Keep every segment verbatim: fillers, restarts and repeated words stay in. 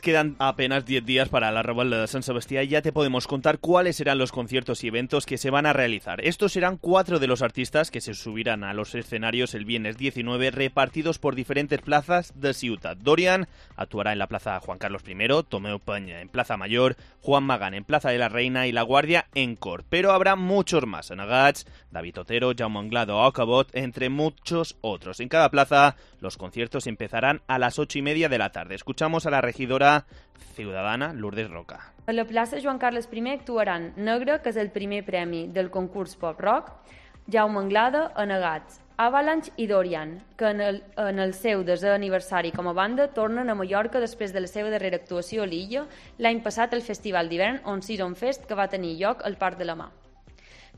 Quedan apenas diez días para la Revuelta de San Sebastián y ya te podemos contar cuáles serán los conciertos y eventos que se van a realizar. Estos serán cuatro de los artistas que se subirán a los escenarios el viernes diecinueve, repartidos por diferentes plazas de Ciutat. Dorian actuará en la Plaza Juan Carlos primero, Tomeu Peña en Plaza Mayor, Juan Magán en Plaza de la Reina y La Guardia en Cort. Pero habrá muchos más, Anagats, David Otero, Jaume Anglada o Ocabot, entre muchos otros. En cada plaza los conciertos empezarán a las ocho y media de la tarde. Escuchamos a la regidora ciudadana Lourdes Roca. A la plaça Joan Carles primer actuaran Negre, que és el primer premi del concurs Pop Rock, Jaume Anglada, Anagats, Avalanche i Dorian, que en el, en el seu desè aniversari com a banda tornen a Mallorca després de la seva darrera actuació a l'illa l'any passat al Festival d'hivern On Season Fest, que va tenir lloc al Parc de la Mar.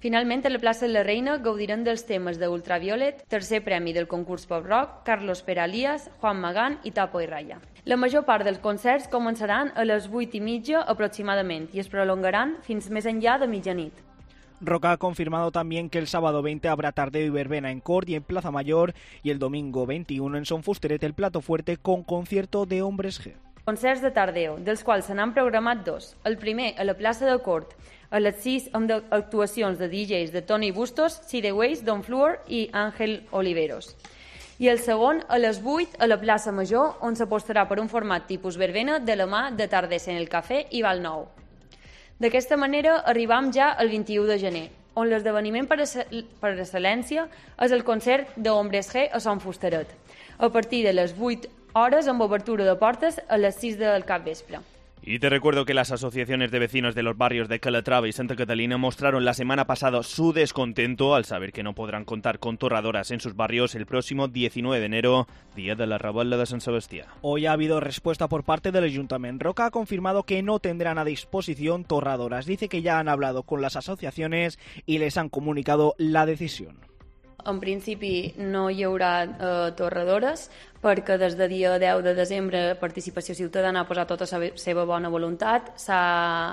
Finalment, a la plaça de la Reina gaudiran dels temes d'Ultraviolet, tercer premi del concurs Pop Rock, Carlos Peralías, Juan Magán i Tapo i Raya. La major part dels concerts començaran a les vuit i mitja aproximadament i es prolongaran fins més enllà de mitjanit. Roca ha confirmado también que el sábado veinte habrá tardeo y verbena en Cort y en Plaza Mayor y el domingo veintiuno en Son Fusteret el plato fuerte con concierto de Hombres G. Concerts de tardeo, dels quals se n'han programat dos. El primer a la plaça de Cort, a les sis amb actuacions de D Js de Tony Bustos, Sideways, Don Fluor i Àngel Oliveros. I el segon a les vuit a la plaça Major, on s'apostarà per un format tipus verbena de la mà de Tardes en el Cafè i Val Nou. D'aquesta manera arribam ja al vint-i-u de gener, on l'esdeveniment per, per excel·lència és el concert d'Hombres G a Son Fusteret, a partir de les vuit hores amb obertura de portes a les sis del capvespre. Y te recuerdo que las asociaciones de vecinos de los barrios de Calatrava y Santa Catalina mostraron la semana pasada su descontento al saber que no podrán contar con torradoras en sus barrios el próximo diecinueve de enero, día de la Revuelta de San Sebastián. Hoy ha habido respuesta por parte del Ayuntamiento. Roca ha confirmado que no tendrán a disposición torradoras. Dice que ya han hablado con las asociaciones y les han comunicado la decisión. En principi no hi haurà eh, torradores perquè des de dia deu de desembre Participació Ciutadana ha posat tota la seva bona voluntat, s'ha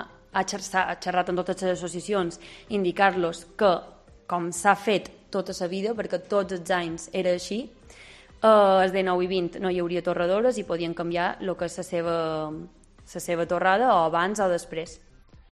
ha xerrat amb totes les associacions, indicar-los que, com s'ha fet tota la vida, perquè tots els anys era així, eh, els de nou i vint no hi hauria torradores i podien canviar el que és la seva, la seva torrada o abans o després.